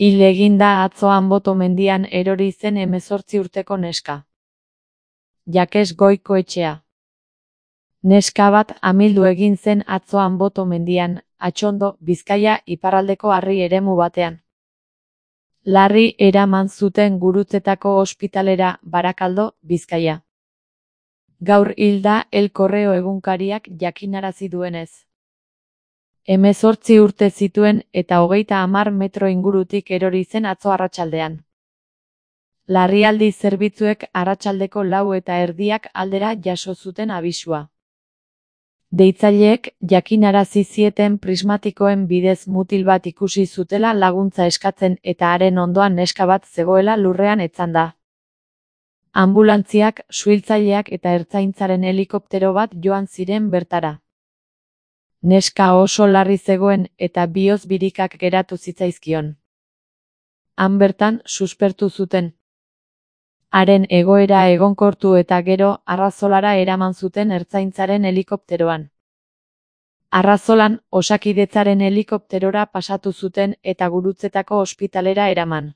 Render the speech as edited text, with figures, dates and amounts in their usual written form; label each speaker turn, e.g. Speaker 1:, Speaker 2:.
Speaker 1: Hil egin da atzo Anboto mendian erori zen 18 urteko neska. Jakes Goikoetxea. Neska bat amildu egin zen atzo Anboto mendian, Atxondo, Bizkaia iparraldeko harri eremu batean. Larri eraman zuten Gurutzetako ospitalera, Barakaldo, Bizkaia. Gaur hil da El Correo egunkariak jakinarazi duenez. 18 urte zituen eta 30 metro ingurutik erori zen atzo arratsaldean. Larrialdi zerbitzuek arratsaldeko 4:30 aldera jaso zuten abisua. Deitzaileek jakinarazi zieten prismatikoen bidez mutil bat ikusi zutela laguntza eskatzen eta haren ondoan neska bat zegoela lurrean etzanda. Anbulantziak, suhiltzaileak eta ertzaintzaren helikoptero bat joan ziren bertara. Neska oso larri zegoen eta bihotz birikak geratu zitzaizkion. Han bertan suspertu zuten. Haren egoera egonkortu eta gero Arrazolara eraman zuten ertzaintzaren helikopteroan. Arrazolan Osakidetzaren helikopterora pasatu zuten eta Gurutzetako ospitalera eraman.